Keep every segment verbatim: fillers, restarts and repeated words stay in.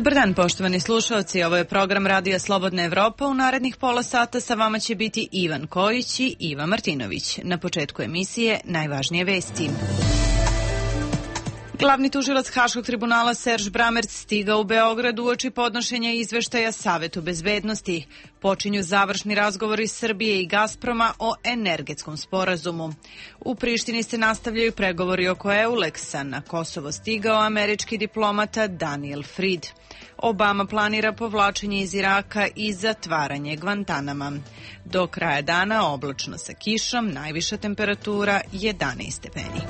Dobar dan, poštovani slušalci. Ovo je program Radija Slobodna Evropa. U narednih pola sata sa vama će biti Ivan Kojić i Iva Martinović. Na početku emisije najvažnije vesti. Glavni tužilac Haškog tribunala Serž Bramerc stigao u Beograd uoči podnošenja izveštaja Savetu bezbednosti. Počinju završni razgovori Srbije i Gazproma o energetskom sporazumu. U Prištini se nastavljaju pregovori oko Euleksa. Na Kosovo stigao američki diplomata Daniel Fried. Obama planira povlačenje iz Iraka i zatvaranje Gvantanama. Do kraja dana oblačno sa kišom, najviša temperatura jedanaest stepeni.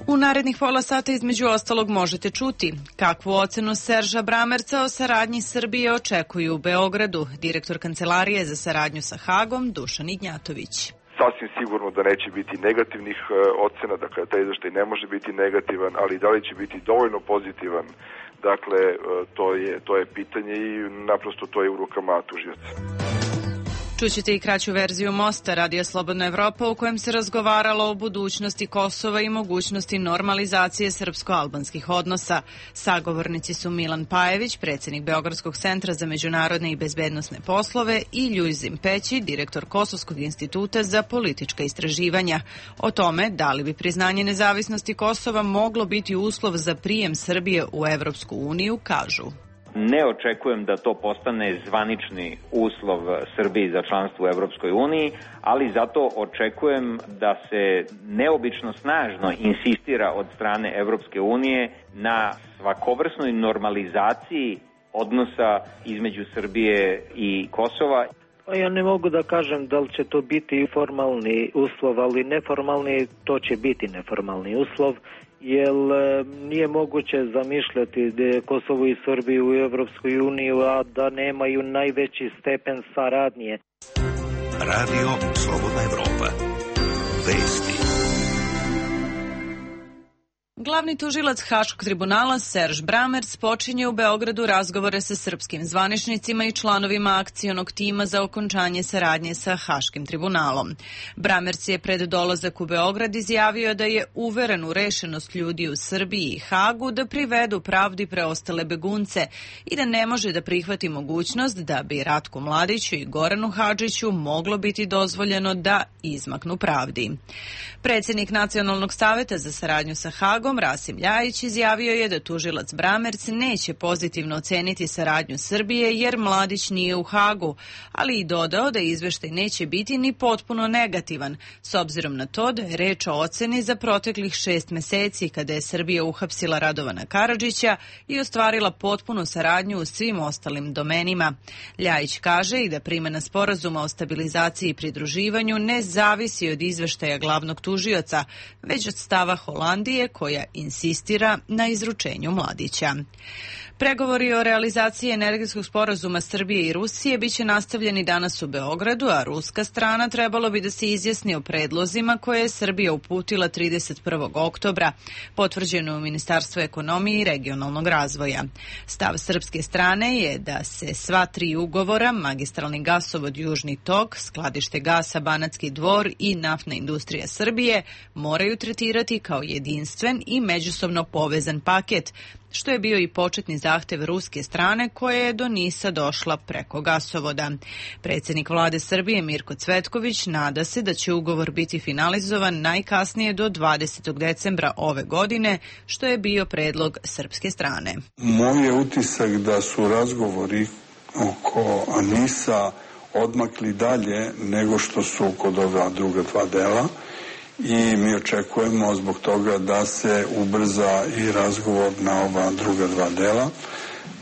U narednih pola sata između ostalog možete čuti kakvu ocenu Serža Bramerca o saradnji Srbije očekuju u Beogradu. Direktor Kancelarije za saradnju sa Hagom Dušan Ignjatović. Sasvim sigurno da neće biti negativnih ocena, dakle taj izveštaj ne može biti negativan, ali da li će biti dovoljno pozitivan, dakle to je, to je pitanje i naprosto to je u rukama tužioca. Čućete i kraću verziju Mosta, Radija Slobodna Evropa, u kojem se razgovaralo o budućnosti Kosova i mogućnosti normalizacije srpsko-albanskih odnosa. Sagovornici su Milan Pajević, predsjednik Beogradskog centra za međunarodne i bezbednosne poslove, i Ljuzim Peći, direktor Kosovskog instituta za politička istraživanja. O tome da li bi priznanje nezavisnosti Kosova moglo biti uslov za prijem Srbije u Evropsku uniju, kažu. Ne očekujem da to postane zvanični uslov Srbiji za članstvo u Evropskoj uniji, ali zato očekujem da se neobično snažno insistira od strane Evropske unije na svakovrsnoj normalizaciji odnosa između Srbije i Kosova. Ja ne mogu da kažem da li će to biti formalni uslov, ali neformalni, to će biti neformalni uslov, jer nije moguće zamišljati da Kosovo i Srbiju u Evropskoj uniji, a da nemaju najveći stepen saradnje. Radio Slobodna Evropa. Vesti. Glavni tužilac Haškog tribunala Serž Bramerc počinje u Beogradu razgovore sa srpskim zvaničnicima i članovima akcionog tima za okončanje saradnje sa Haškim tribunalom. Bramerc je pred dolazak u Beograd izjavio da je uveren u rešenost ljudi u Srbiji i Hagu da privedu pravdi preostale begunce i da ne može da prihvati mogućnost da bi Ratku Mladiću i Goranu Hadžiću moglo biti dozvoljeno da izmaknu pravdi. Predsjednik Nacionalnog saveta za saradnju sa Hagom Rasim Ljajić izjavio je da tužilac Bramerc neće pozitivno oceniti saradnju Srbije jer Mladić nije u Hagu, ali i dodao da izveštaj neće biti ni potpuno negativan, s obzirom na to da je reč o oceni za proteklih šest meseci kada je Srbija uhapsila Radovana Karadžića i ostvarila potpunu saradnju u svim ostalim domenima. Ljajić kaže i da primena sporazuma o stabilizaciji i pridruživanju ne zavisi od izveštaja glavnog tužioca, već od stava Holandije koja insistira na izručenju Mladića. Pregovori o realizaciji energetskog sporazuma Srbije i Rusije biće nastavljeni danas u Beogradu, a ruska strana trebalo bi da se izjasni o predlozima koje je Srbija uputila trideset prvog oktobra, potvrđeno u Ministarstvu ekonomije i regionalnog razvoja. Stav srpske strane je da se sva tri ugovora, magistralni gasovod Južni tok, skladište gasa Banatski Dvor i naftna industrija Srbije, moraju tretirati kao jedinstven i međusobno povezan paket, što je bio i početni zahtev ruske strane koja je do Nisa došla preko gasovoda. Predsjednik vlade Srbije Mirko Cvetković nada se da će ugovor biti finalizovan najkasnije do dvadesetog decembra ove godine, što je bio predlog srpske strane. Moj je utisak da su razgovori oko Nisa odmakli dalje nego što su kod ova druga dva dela. I mi očekujemo zbog toga da se ubrza i razgovor na ova druga dva dela,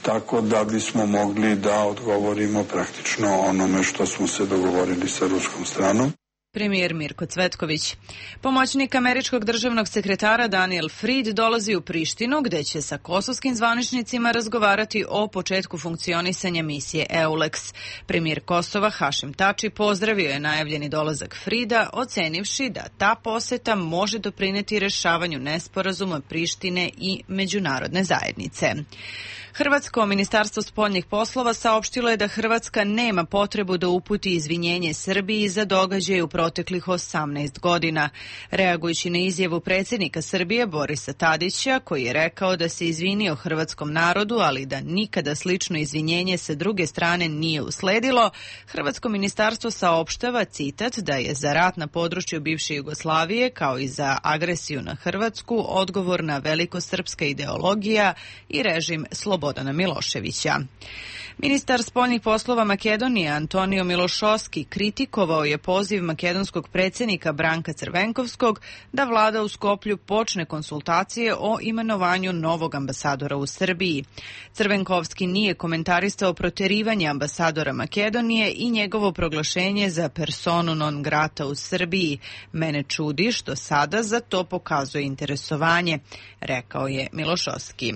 tako da bismo mogli da odgovorimo praktično onome što smo se dogovorili sa ruskom stranom. Premijer Mirko Cvetković. Pomoćnik američkog državnog sekretara Daniel Fried dolazi u Prištinu gde će sa kosovskim zvaničnicima razgovarati o početku funkcionisanja misije Euleks. Premijer Kosova Hašim Tači pozdravio je najavljeni dolazak Frieda, ocenivši da ta poseta može doprineti rešavanju nesporazuma Prištine i međunarodne zajednice. Hrvatsko ministarstvo spoljnih poslova saopštilo je da Hrvatska nema potrebu da uputi izvinjenje Srbiji za događaje u proteklih osamnaest godina. Reagujući na izjavu predsjednika Srbije Borisa Tadića, koji je rekao da se izvinio hrvatskom narodu, ali da nikada slično izvinjenje sa druge strane nije usledilo, Hrvatsko ministarstvo saopštava, citat, da je za rat na području bivše Jugoslavije, kao i za agresiju na Hrvatsku, odgovorna velikosrpska ideologija i režim Slobodana Miloševića. Ministar spoljnih poslova Makedonije Antonio Milošovski kritikovao je poziv makedonskog predsjednika Branka Crvenkovskog da vlada u Skoplju počne konsultacije o imenovanju novog ambasadora u Srbiji. Crvenkovski nije komentarisao proterivanje ambasadora Makedonije i njegovo proglašenje za personu non grata u Srbiji. Mene čudi što sada za to pokazuje interesovanje, rekao je Milošovski.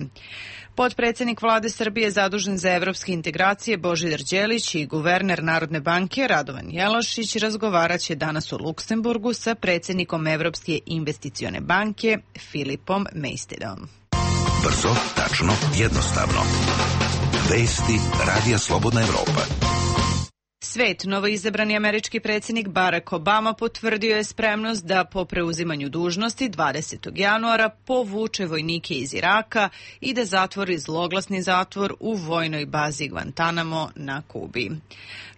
Potpredsjednik vlade Srbije zadužen za evropske integracije Božidar Đelić i guverner Narodne banke Radovan Jelošić razgovarat će danas u Luksemburgu sa predsjednikom Evropske investicione banke Filipom Mejstedom. Brzo, tačno, jednostavno. Vesti Radija Slobodna Evropa. Svet, novoizabrani američki predsjednik Barack Obama potvrdio je spremnost da po preuzimanju dužnosti dvadesetog januara povuče vojnike iz Iraka i da zatvori zloglasni zatvor u vojnoj bazi Guantanamo na Kubi.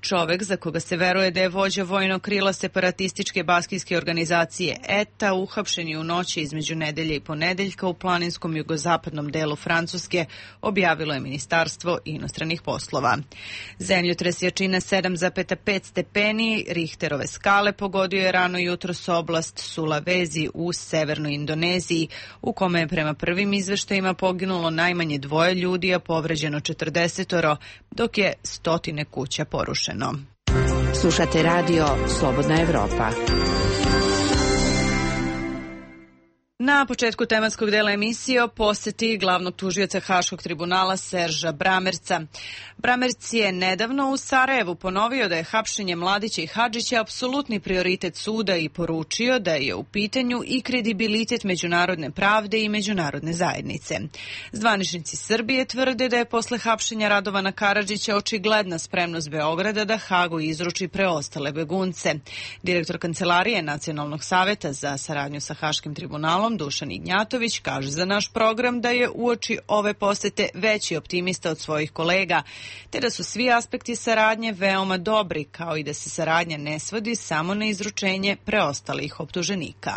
Čovek za koga se veruje da je vođa vojnog krila separatističke baskijske organizacije E T A uhapšen je u noći između nedelje i ponedeljka u planinskom jugozapadnom delu Francuske, objavilo je Ministarstvo inostranih poslova. Zemljotres jačine sedam zarez pet stepeni Richterove skale pogodio je rano jutros oblast Sulawesi u severnoj Indoneziji, u kome je prema prvim izveštajima poginulo najmanje dvoje ljudi, a povređeno četrdesetoro, dok je stotine kuća porušeno. Slušate radio Slobodna Evropa. Na početku tematskog dela emisije o poseti glavnog tužioca Haškog tribunala Serža Bramerca. Bramerc je nedavno u Sarajevu ponovio da je hapšenje Mladića i Hadžića apsolutni prioritet suda i poručio da je u pitanju i kredibilitet međunarodne pravde i međunarodne zajednice. Zvaničnici Srbije tvrde da je posle hapšenja Radovana Karadžića očigledna spremnost Beograda da Hagu izruči preostale begunce. Direktor Kancelarije Nacionalnog saveta za saradnju sa Haškim tribunalom Dušan Ignjatović kaže za naš program da je uoči ove posete veći optimista od svojih kolega, te da su svi aspekti saradnje veoma dobri, kao i da se saradnja ne svodi samo na izručenje preostalih optuženika.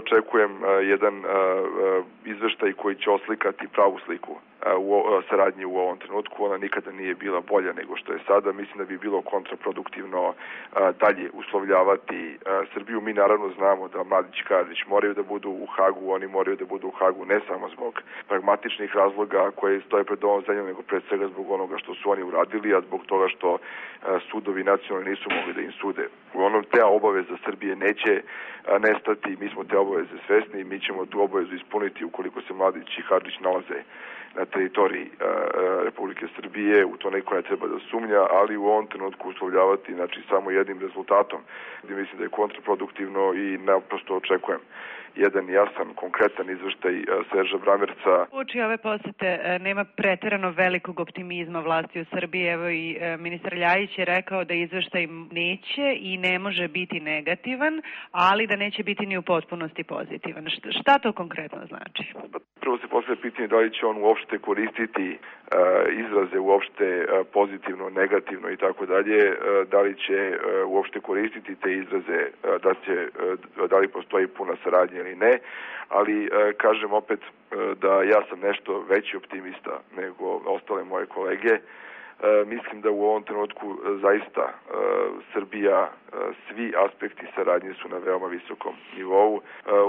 Očekujem jedan izveštaj koji će oslikati pravu sliku u saradnji u ovom trenutku. Ona nikada nije bila bolja nego što je sada. Mislim da bi bilo kontraproduktivno dalje uslovljavati Srbiju. Mi naravno znamo da Mladić i Karadžić moraju da budu u Hagu, oni moraju da budu u Hagu ne samo zbog pragmatičnih razloga koje stoje pred ovom zemljom, nego pred svega zbog onoga što su oni uradili, a zbog toga što sudovi nacionalni nisu mogli da im sude. Uglavnom, te obaveza Srbije neće nestati, mi smo te obaveze svesni i mi ćemo tu obavezu ispuniti ukoliko se Mladić i Hadžić nalaze na teritoriji uh, Republike Srbije, u to neko ne treba da sumnja, ali u ovom trenutku uslovljavati znači, samo jednim rezultatom, gdje mislim da je kontraproduktivno i naprosto očekujem jedan jasan, konkretan izveštaj Serža Bramerca. Uoči ove posete nema preterano velikog optimizma vlasti u Srbiji. Evo i ministar Ljajić je rekao da izveštaj neće i ne može biti negativan, ali da neće biti ni u potpunosti pozitivan. Šta to konkretno znači? Prvo se postavlja pitanje da li će on uopšte koristiti uh, izraze uopšte uh, pozitivno, negativno i tako dalje, da li će uh, uopšte koristiti te izraze, uh, da će, uh, da li postoji puna saradnja ili ne, ali uh, kažem opet uh, da ja sam nešto veći optimista nego ostale moje kolege. E, mislim da u ovom trenutku e, zaista e, Srbija, e, svi aspekti saradnje su na veoma visokom nivou. E,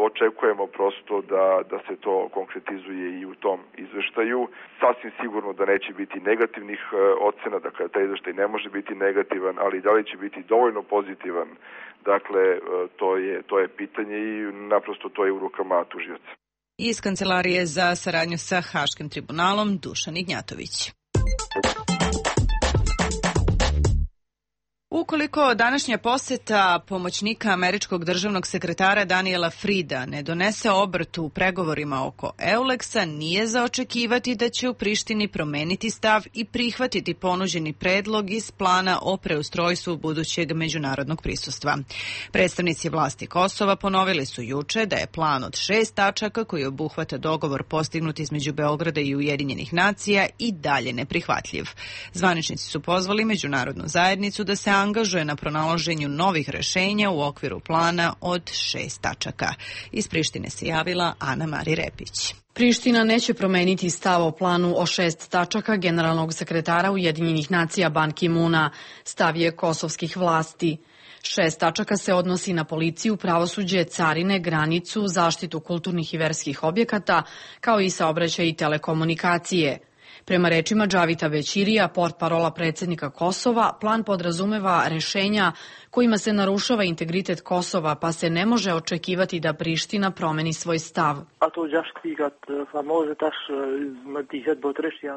očekujemo prosto da, da se to konkretizuje i u tom izveštaju. Sasvim sigurno da neće biti negativnih e, ocena, dakle taj izveštaj ne može biti negativan, ali da li će biti dovoljno pozitivan, dakle e, to je, to je pitanje i naprosto to je u rukama tužioca. Iz Kancelarije za saradnju sa Haškim tribunalom Dušan Ignjatović. Ukoliko današnja poseta pomoćnika američkog državnog sekretara Daniela Frida ne donese obrt u pregovorima oko Euleksa, nije za očekivati da će u Prištini promeniti stav i prihvatiti ponuđeni predlog iz plana o preustrojstvu budućeg međunarodnog prisustva. Predstavnici vlasti Kosova ponovili su juče da je plan od šest tačaka koji obuhvata dogovor postignut između Beograda i Ujedinjenih nacija i dalje neprihvatljiv. Zvaničnici su pozvali međunarodnu zajednicu da se angažuje na pronalaženju novih rešenja u okviru plana od šest tačaka. Iz Prištine se javila Ana Mari Repić. Priština neće promeniti stav o planu o šest tačaka generalnog sekretara Ujedinjenih nacija Ban Ki-muna, stav je kosovskih vlasti. Šest tačaka se odnosi na policiju, pravosuđe, carine, granicu, zaštitu kulturnih i verskih objekata, kao i saobraćaj i telekomunikacije. Prema rečima Džavita Bećirija, portparola predsjednika Kosova, plan podrazumeva rešenja kojima se narušava integritet Kosova, pa se ne može očekivati da Priština promeni svoj stav.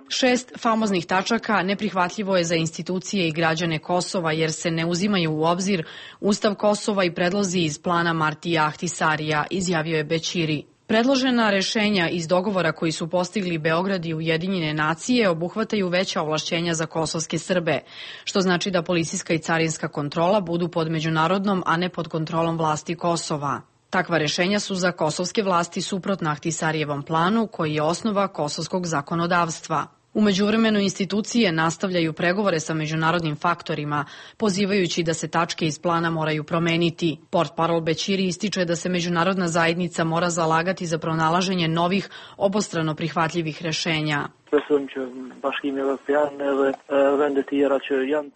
Šest famoznih tačaka neprihvatljivo je za institucije i građane Kosova jer se ne uzimaju u obzir Ustav Kosova i predlozi iz plana Martija Ahtisarija, izjavio je Bećiri. Predložena rešenja iz dogovora koji su postigli Beograd i Ujedinjene nacije obuhvataju veća ovlašćenja za kosovske Srbe, što znači da policijska i carinska kontrola budu pod međunarodnom, a ne pod kontrolom vlasti Kosova. Takva rešenja su za kosovske vlasti suprotna Ahtisarijevom planu, koji je osnova kosovskog zakonodavstva. U međuvremenu institucije nastavljaju pregovore sa međunarodnim faktorima, pozivajući da se tačke iz plana moraju promeniti. Portparol Bećiri ističe da se međunarodna zajednica mora zalagati za pronalaženje novih, obostrano prihvatljivih rešenja.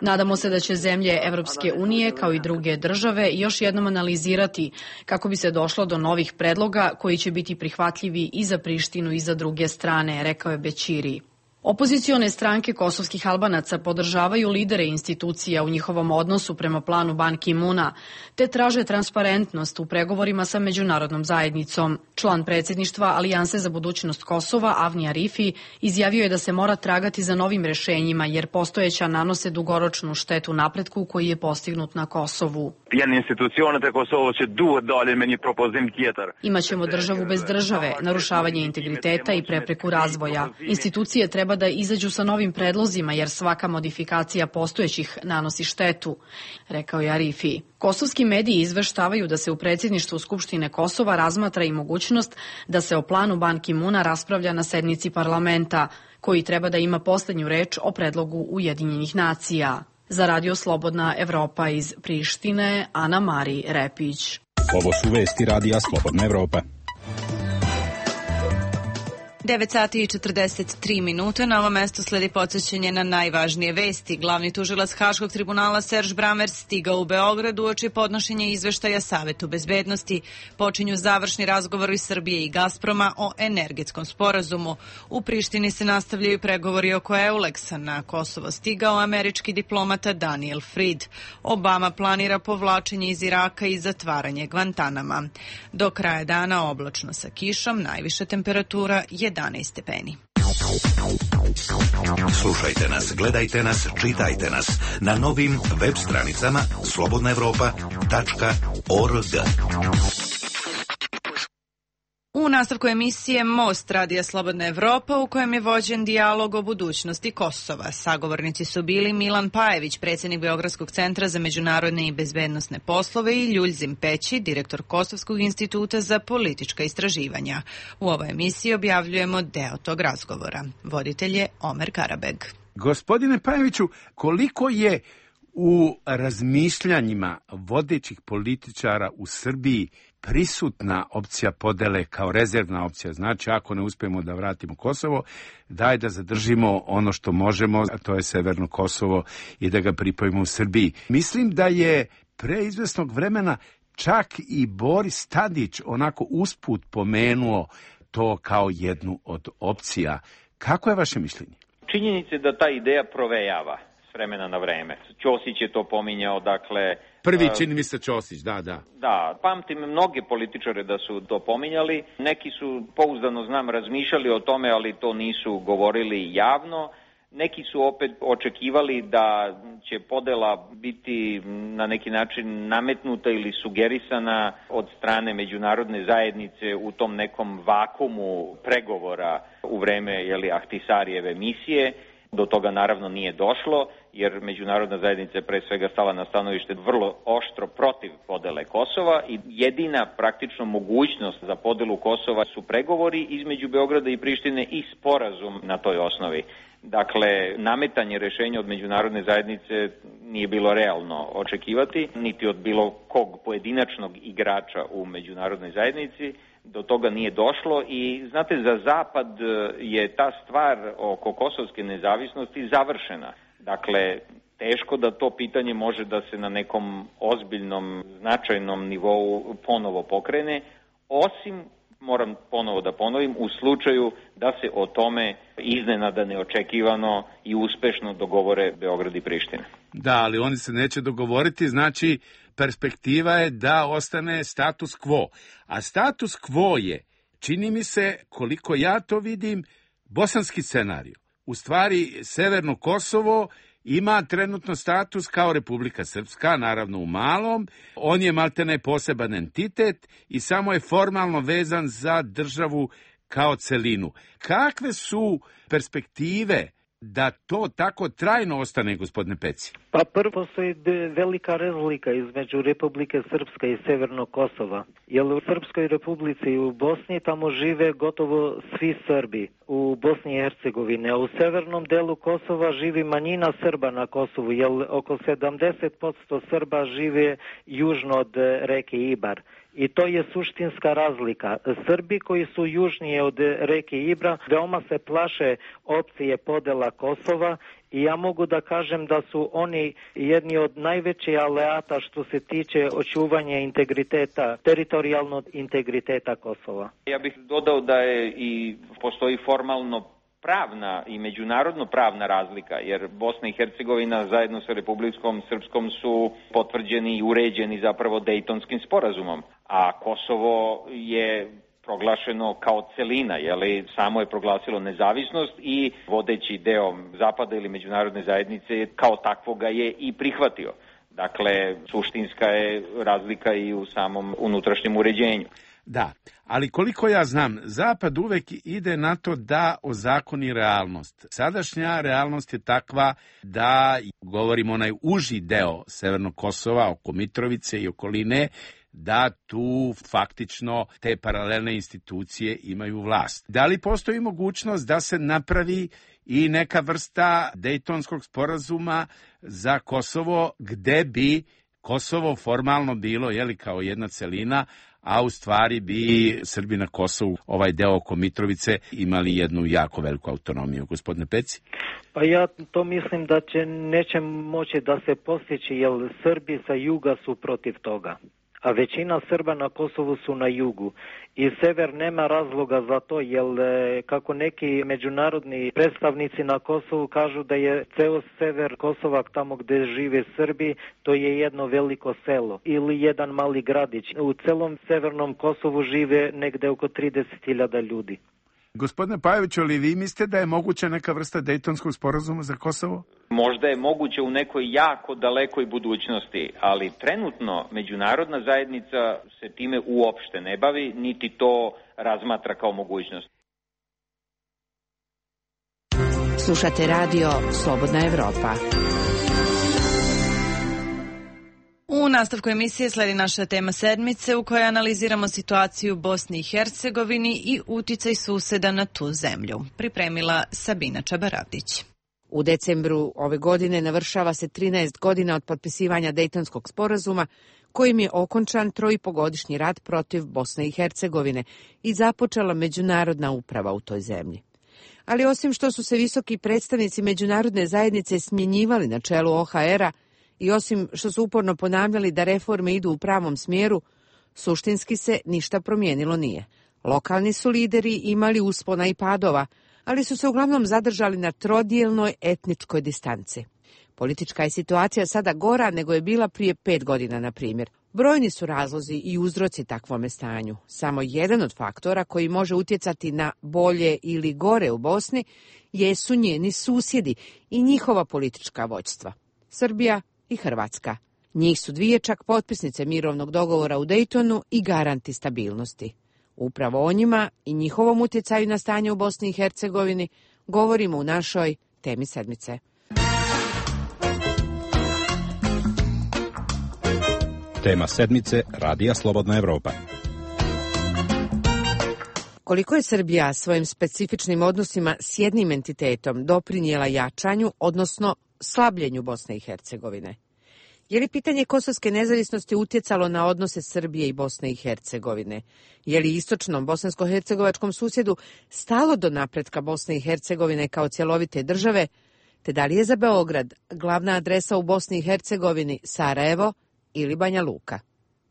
Nadamo se da će zemlje Evropske unije, kao i druge države, još jednom analizirati kako bi se došlo do novih predloga koji će biti prihvatljivi i za Prištinu i za druge strane, rekao je Bećiri. Opozicione stranke kosovskih Albanaca podržavaju lidere institucija u njihovom odnosu prema planu Ban Ki-muna, te traže transparentnost u pregovorima sa međunarodnom zajednicom. Član predsjedništva Alijanse za budućnost Kosova, Avni Arifi, izjavio je da se mora tragati za novim rešenjima, jer postojeća nanose dugoročnu štetu napretku koji je postignut na Kosovu. Imaćemo državu bez države, narušavanje integriteta i prepreku razvoja. Institucije treba da izađu sa novim predlozima jer svaka modifikacija postojećih nanosi štetu, rekao je Arifi. Kosovski mediji izveštavaju da se u predsjedništvu Skupštine Kosova razmatra i mogućnost da se o planu Ban Ki-muna raspravlja na sednici parlamenta, koji treba da ima poslednju reč o predlogu Ujedinjenih nacija. Za Radio Slobodna Evropa iz Prištine, Ana Mari Repić. Ovo su vesti Radija Slobodna Evropa. devet sati i četrdeset tri minuta. Na ovom mestu sledi podsjećanje na najvažnije vesti. Glavni tužilac Haškog tribunala Serž Bramer stigao u Beogradu uoči podnošenja izveštaja Savetu bezbednosti. Počinju završni razgovori Srbije i Gazproma o energetskom sporazumu. U Prištini se nastavljaju pregovori oko Euleksa. Na Kosovo stigao američki diplomata Daniel Fried. Obama planira povlačenje iz Iraka i zatvaranje Gvantanama. Do kraja dana oblačno sa kišom, najviša temperatura jedanaest stepeni. Slušajte nas, gledajte nas, čitajte nas na novim web stranicama slobodna evropa tačka org. U nastavku emisije Most Radija Slobodna Evropa, u kojem je vođen dijalog o budućnosti Kosova. Sagovornici su bili Milan Pajević, predsjednik Beogradskog centra za međunarodne i bezbednosne poslove, i Ljuljzim Peći, direktor Kosovskog instituta za politička istraživanja. U ovoj emisiji objavljujemo deo tog razgovora. Voditelj je Omer Karabeg. Gospodine Pajeviću, koliko je u razmišljanjima vodećih političara u Srbiji prisutna opcija podele kao rezervna opcija? Znači, ako ne uspijemo da vratimo Kosovo, daj da zadržimo ono što možemo, a to je Severno Kosovo, i da ga pripojimo u Srbiji. Mislim da je pre izvesnog vremena čak i Boris Tadić onako usput pomenuo to kao jednu od opcija. Kako je vaše mišljenje? Činjenica je da ta ideja provejava s vremena na vreme. Ćosić je to pominjao, dakle... Prvi čini mi se Ćosić, da, da. Da, pamtim mnoge političare da su to pominjali. Neki su, pouzdano znam, razmišljali o tome, ali to nisu govorili javno. Neki su opet očekivali da će podela biti na neki način nametnuta ili sugerisana od strane međunarodne zajednice u tom nekom vakumu pregovora u vreme jeli, Ahtisarijeve misije. Do toga naravno nije došlo, jer međunarodna zajednica je pre svega stala na stanovište vrlo oštro protiv podele Kosova i jedina praktično mogućnost za podelu Kosova su pregovori između Beograda i Prištine i sporazum na toj osnovi. Dakle, nametanje rešenja od međunarodne zajednice nije bilo realno očekivati, niti od bilo kog pojedinačnog igrača u međunarodnoj zajednici. Do toga nije došlo i, znate, za Zapad je ta stvar oko kosovske nezavisnosti završena. Dakle, teško da to pitanje može da se na nekom ozbiljnom, značajnom nivou ponovo pokrene, osim, moram ponovo da ponovim, u slučaju da se o tome iznenada neočekivano i uspešno dogovore Beograd i Priština. Da, ali oni se neće dogovoriti, znači perspektiva je da ostane status quo. A status quo je, čini mi se, koliko ja to vidim, bosanski scenarij. U stvari, Severno Kosovo ima trenutno status kao Republika Srpska, naravno u malom. On je maltene poseban entitet i samo je formalno vezan za državu kao celinu. Kakve su perspektive da to tako trajno ostane, gospodine Peci? Pa prvo postoji velika razlika između Republike Srpska i Severnog Kosova. Jer u Srpskoj Republici i u Bosni tamo žive gotovo svi Srbi u Bosni i Hercegovini, a u severnom delu Kosova živi manjina Srba na Kosovu, jer oko sedamdeset posto Srba žive južno od reke Ibar. I to je suštinska razlika. Srbi koji su južnije od reke Ibra veoma se plaše opcije podela Kosova i ja mogu da kažem da su oni jedni od najvećih aleata što se tiče očuvanja integriteta, teritorijalnog integriteta Kosova. Ja bih dodao da je i postoji formalno pravna i međunarodno pravna razlika, jer Bosna i Hercegovina zajedno sa Republikom Srpskom su potvrđeni i uređeni zapravo Dejtonskim sporazumom, a Kosovo je proglašeno kao celina, jeli, samo je proglasilo nezavisnost i vodeći deo Zapada ili međunarodne zajednice kao takvoga je i prihvatio. Dakle, suštinska je razlika i u samom unutrašnjem uređenju. Da, ali koliko ja znam, Zapad uvek ide na to da ozakoni realnost. Sadašnja realnost je takva da, govorimo onaj uži deo Severnog Kosova, oko Mitrovice i okoline, da tu faktično te paralelne institucije imaju vlast. Da li postoji mogućnost da se napravi i neka vrsta Dejtonskog sporazuma za Kosovo, gde bi Kosovo formalno bilo, jeli, kao jedna celina, a u stvari bi Srbi na Kosovu, ovaj deo oko Mitrovice, imali jednu jako veliku autonomiju. Gospodine Peci? Pa ja to mislim da će neće moći da se postići, jer Srbi sa juga su protiv toga. A većina Srba na Kosovu su na jugu. I sever nema razloga za to, jer kako neki međunarodni predstavnici na Kosovu kažu da je ceo sever Kosova, tamo gde žive Srbi, to je jedno veliko selo ili jedan mali gradić. U celom severnom Kosovu žive negde oko trideset hiljada ljudi. Gospodine Pajoviću, ali vi mislite da je moguća neka vrsta Dejtonskog sporazuma za Kosovo? Možda je moguće u nekoj jako dalekoj budućnosti, ali trenutno međunarodna zajednica se time uopšte ne bavi, niti to razmatra kao mogućnost. Slušate radio Slobodna Evropa. U nastavku emisije sledi naša tema sedmice u kojoj analiziramo situaciju u Bosni i Hercegovini i uticaj suseda na tu zemlju. Pripremila Sabina Čabaravdić. U decembru ove godine navršava se trinaest godina od potpisivanja Dejtonskog sporazuma, kojim je okončan troipogodišnji rat protiv Bosne i Hercegovine i započela međunarodna uprava u toj zemlji. Ali osim što su se visoki predstavnici međunarodne zajednice smjenjivali na čelu O H R-a, i osim što su uporno ponavljali da reforme idu u pravom smjeru, suštinski se ništa promijenilo nije. Lokalni su lideri imali uspona i padova, ali su se uglavnom zadržali na trodijelnoj etničkoj distanci. Politička je situacija sada gora nego je bila prije pet godina, na primjer. Brojni su razlozi i uzroci takvome stanju. Samo jedan od faktora koji može utjecati na bolje ili gore u Bosni jesu njeni susjedi i njihova politička vođstva, Srbija i Hrvatska. Njih su dvije čak potpisnice mirovnog dogovora u Dejtonu i garanti stabilnosti. Upravo o njima i njihovom utjecaju na stanje u Bosni i Hercegovini govorimo u našoj temi sedmice. Tema sedmice Radija Slobodna Evropa. Koliko je Srbija svojim specifičnim odnosima s jednim entitetom doprinijela jačanju, odnosno slabljenju Bosne i Hercegovine? Je li pitanje kosovske nezavisnosti utjecalo na odnose Srbije i Bosne i Hercegovine? Je li istočnom bosansko-hercegovačkom susjedu stalo do napretka Bosne i Hercegovine kao cjelovite države, te da li je za Beograd glavna adresa u Bosni i Hercegovini Sarajevo ili Banja Luka?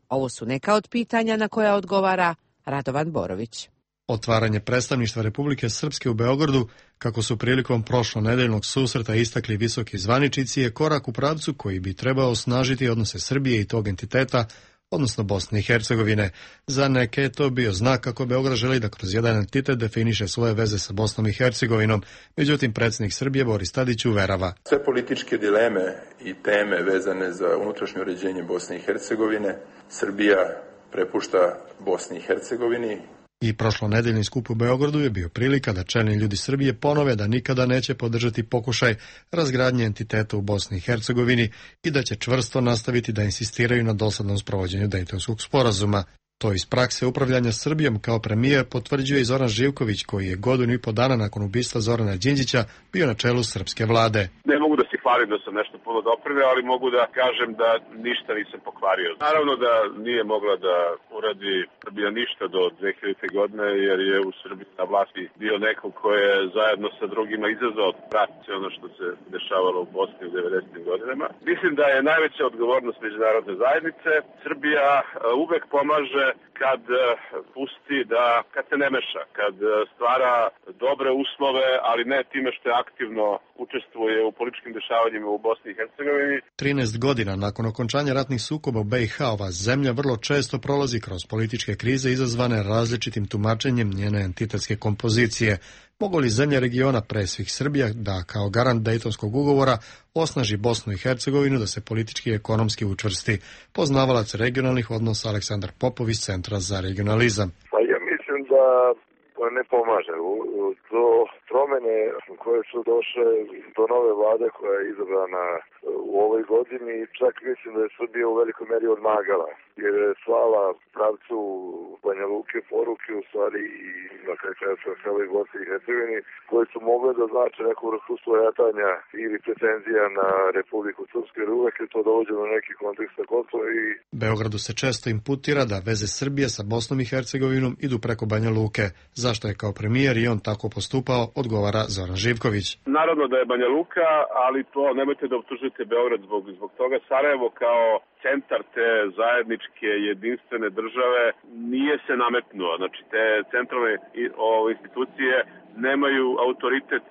Ovo su neka od pitanja na koja odgovara Radovan Borović. Otvaranje predstavništva Republike Srpske u Beogradu, kako su prilikom prošlonedeljnog susreta istakli visoki zvaničnici, je korak u pravcu koji bi trebao osnažiti odnose Srbije i tog entiteta, odnosno Bosne i Hercegovine. Za neke je to bio znak kako Beograd želi da kroz jedan entitet definiše svoje veze sa Bosnom i Hercegovinom. Međutim, predsjednik Srbije Boris Tadić uverava. Sve političke dileme i teme vezane za unutrašnje uređenje Bosne i Hercegovine Srbija prepušta Bosni i Hercegovini. I prošlonedeljni skup u Beogradu je bio prilika da čelni ljudi Srbije ponove da nikada neće podržati pokušaj razgradnje entiteta u Bosni i Hercegovini i da će čvrsto nastaviti da insistiraju na dosadnom sprovođenju Dejtonskog sporazuma. To iz prakse upravljanja Srbijom kao premijer potvrđuje i Zoran Živković, koji je godinu i po dana nakon ubistva Zorana Đinđića bio na čelu srpske vlade. Ne mogu da se hvalim da sam nešto puno doprineo, ali mogu da kažem da ništa nisam pokvario. Naravno da nije mogla da uradi Srbija ništa do dve hiljadite. godine, jer je u Srbiji na vlasti bio neko ko je zajedno sa drugima izazvao rat, ono što se dešavalo u Bosni u devedesetim godinama. Mislim da je najveća odgovornost međunarodne zajednice. Srbija uvek pomaže kad pusti da, kad se ne meša, kad stvara dobre uslove, ali ne time što je aktivno učestvuje u političkim dešavanjima u Bosni i Hercegovini. trinaest godina nakon okončanja ratnih sukoba u B i H, ova zemlja vrlo često prolazi kroz političke krize izazvane različitim tumačenjem njene entitetske kompozicije. Mogu li zemlje regiona, pre svih Srbija, da kao garant Dejtonskog ugovora osnaži Bosnu i Hercegovinu da se politički i ekonomski učvrsti? Poznavalac regionalnih odnosa Aleksandar Popov iz Centra za regionalizam. Pa ja mislim da ne pomaže. Do promene koje su došle do nove vlade koja je izabrana u ovoj godini, čak mislim da je Srbija u velikoj meri odmagala, jer je slala pravcu Banja Luke poruke u stvari i na kraju krajeva celoj Bosni i Hercegovini, koje su mogle da znače neku vrstu svojatanja ili pretenzija na Republiku Srpsku, jer uvek je to dovođeno do nekih konteksta Kosova. I Beogradu se često imputira da veze Srbije sa Bosnom i Hercegovinom idu preko Banja Luke. Zašto je kao premijer i on tako postupao, odgovara Zoran Živković. Naravno da je Banja Luka, ali to nemojte da optužite Beograd zbog, zbog toga. Sarajevo kao centar te zajedničke jedinstvene države nije se nametnuo. Znači te centralne institucije nemaju autoritet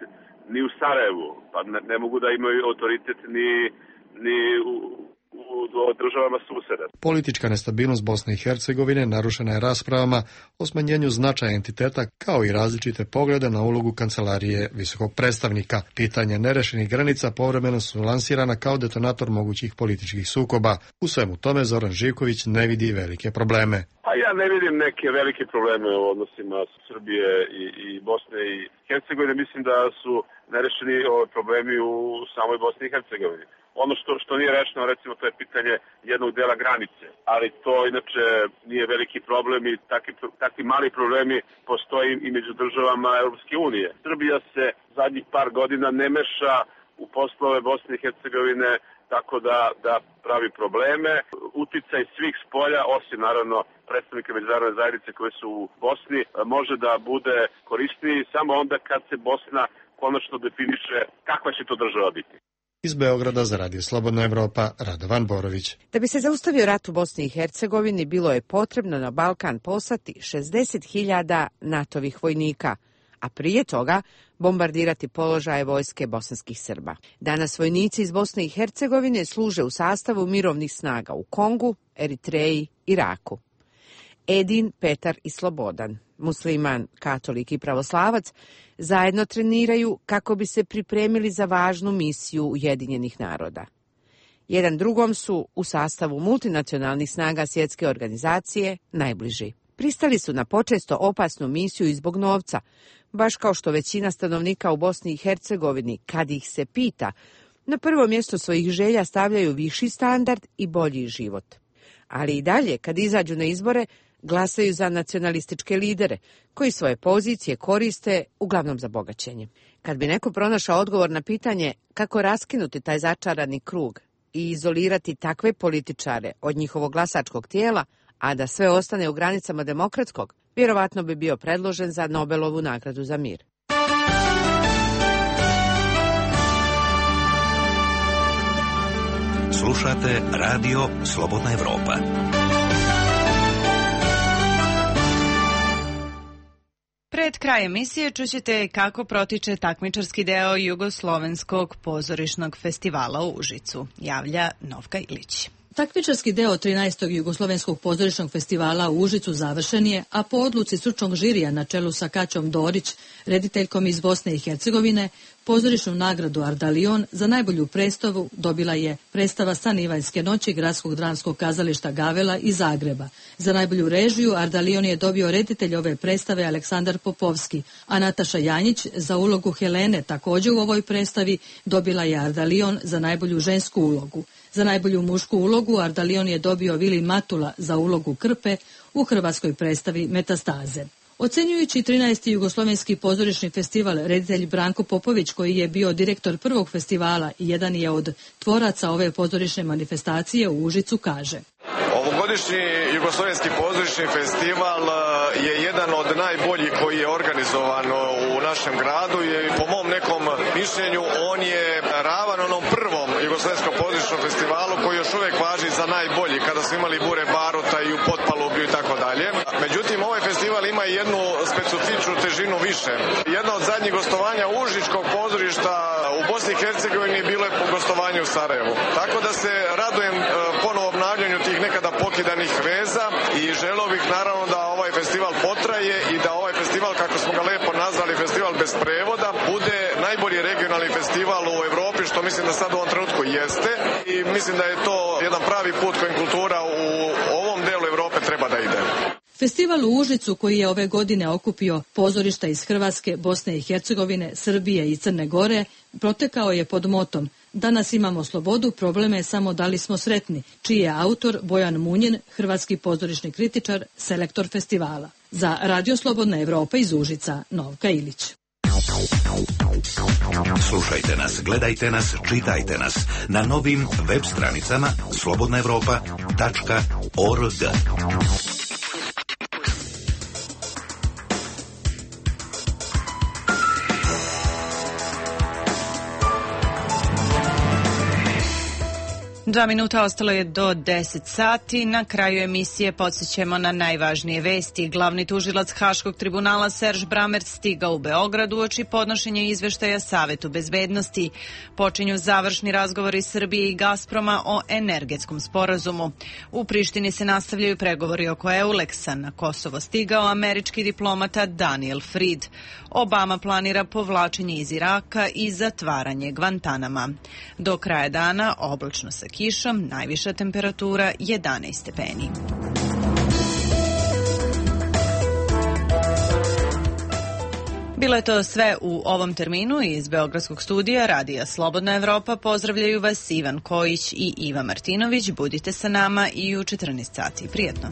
ni u Sarajevu, pa ne, ne mogu da imaju autoritet ni, ni u u državama suseda. Politička nestabilnost Bosne i Hercegovine narušena je raspravama o smanjenju značaja entiteta, kao i različite poglede na ulogu kancelarije visokog predstavnika. Pitanja nerešenih granica povremeno su lansirana kao detonator mogućih političkih sukoba. U svemu tome Zoran Živković ne vidi velike probleme. A ja ne vidim neke velike probleme u odnosima Srbije i, i Bosne i Hercegovine. Mislim da su nerešeni problemi u samoj Bosni i Hercegovini. Ono što, što nije rešeno, recimo, to je pitanje jednog dela granice, ali to inače nije veliki problem i takvi, takvi mali problemi postoji i među državama Europske unije. Srbija se zadnjih par godina ne meša u poslove Bosne i Hercegovine tako da, da pravi probleme. Uticaj svih spolja, osim naravno predstavnika međunarodne zajednice koje su u Bosni, može da bude korisniji samo onda kad se Bosna konačno definiše kakva će to država biti. Iz Beograda za Radio Slobodna Evropa, Radovan Borović. Da bi se zaustavio rat u Bosni i Hercegovini, bilo je potrebno na Balkan poslati šezdeset hiljada NATO-vih vojnika, a prije toga bombardirati položaje vojske bosanskih Srba. Danas vojnici iz Bosne i Hercegovine služe u sastavu mirovnih snaga u Kongu, Eritreji, Iraku. Edin, Petar i Slobodan, musliman, katolik i pravoslavac, zajedno treniraju kako bi se pripremili za važnu misiju Ujedinjenih naroda. Jedan drugom su u sastavu multinacionalnih snaga svjetske organizacije najbliži. Pristali su na počesto opasnu misiju i zbog novca, baš kao što većina stanovnika u Bosni i Hercegovini, kad ih se pita, na prvo mjesto svojih želja stavljaju viši standard i bolji život. Ali i dalje, kad izađu na izbore, glasaju za nacionalističke lidere, koji svoje pozicije koriste uglavnom za bogaćenje. Kad bi neko pronašao odgovor na pitanje kako raskinuti taj začarani krug i izolirati takve političare od njihovog glasačkog tijela, a da sve ostane u granicama demokratskog, vjerovatno bi bio predložen za Nobelovu nagradu za mir. Slušate Radio Slobodna Evropa. Pred kraj emisije čućete kako protiče takmičarski deo Jugoslovenskog pozorišnog festivala u Užicu. Javlja Novka Ilić. Takmičarski deo trinaestog Jugoslovenskog pozorišnog festivala u Užicu završen je, a po odluci stručnog žirija na čelu sa Kaćom Dorić, rediteljkom iz Bosne i Hercegovine, pozorišnu nagradu Ardalion za najbolju predstavu dobila je predstava Stanivanjske noći Gradskog dramskog kazališta Gavela iz Zagreba. Za najbolju režiju Ardalion je dobio reditelj ove predstave Aleksandar Popovski, a Nataša Janjić za ulogu Helene također u ovoj predstavi dobila je Ardalion za najbolju žensku ulogu. Za najbolju mušku ulogu Ardalion je dobio Vili Matula za ulogu Krpe u hrvatskoj predstavi Metastaze. Ocenjujući trinaesti Jugoslovenski pozorišni festival, reditelj Branko Popović, koji je bio direktor prvog festivala i jedan je od tvoraca ove pozorišne manifestacije u Užicu, kaže: Ovogodišnji Jugoslovenski pozorišni festival je jedan od najboljih koji je organizovan u našem gradu i po mom nekom mišljenju on je ravan onom prvom Jugoslovenskom pozorišnom festivalu koji još uvijek važi za najbolji, kada smo imali Bure Baruta i u Potpalublju i tako dalje. Međutim, ovaj festival ima jednu specifičnu težinu više. Jedno od zadnjih gostovanja Užičkog pozorišta u Bosni i Hercegovini bilo je po gostovanju u Sarajevu. Tako da se radujem ponovo obnavljanju tih nekada pokidanih veza i želeo bih naravno da ovaj festival potraje i da ovaj festival, kako smo ga lepo nazvali, festival bez prevoda, bude najbolji regionalni festival u Evropi, što mislim da sad u ovom trenutku jeste, i mislim da je to jedan pravi put kojim kultura u ovom delu Evrope treba da ide. Festival u Užicu, koji je ove godine okupio pozorišta iz Hrvatske, Bosne i Hercegovine, Srbije i Crne Gore, protekao je pod motom "Danas imamo slobodu, probleme je samo da li smo sretni", čiji je autor Bojan Munjin, hrvatski pozorišni kritičar, selektor festivala. Za Radio Slobodna Evropa iz Užica, Novka Ilić. Slušajte nas, gledajte nas, čitajte nas na novim web stranicama slobodna evropa tačka org. Dva minuta ostalo je do deset sati. Na kraju emisije podsjećamo na najvažnije vesti. Glavni tužilac Haškog tribunala Serž Bramerc stigao u Beograd uoči podnošenja izveštaja Savetu bezbednosti. Počinju završni razgovori Srbije i Gazproma o energetskom sporazumu. U Prištini se nastavljaju pregovori oko Euleksa. Na Kosovo stigao američki diplomata Daniel Fried. Obama planira povlačenje iz Iraka i zatvaranje Gvantanama. Do kraja dana oblačno sa kišom, najviša temperatura jedanaest stepeni. Bilo je to sve u ovom terminu. Iz Beogradskog studija Radija Slobodna Evropa pozdravljaju vas Ivan Kojić i Iva Martinović. Budite sa nama i u četrnaest sati. Prijetno.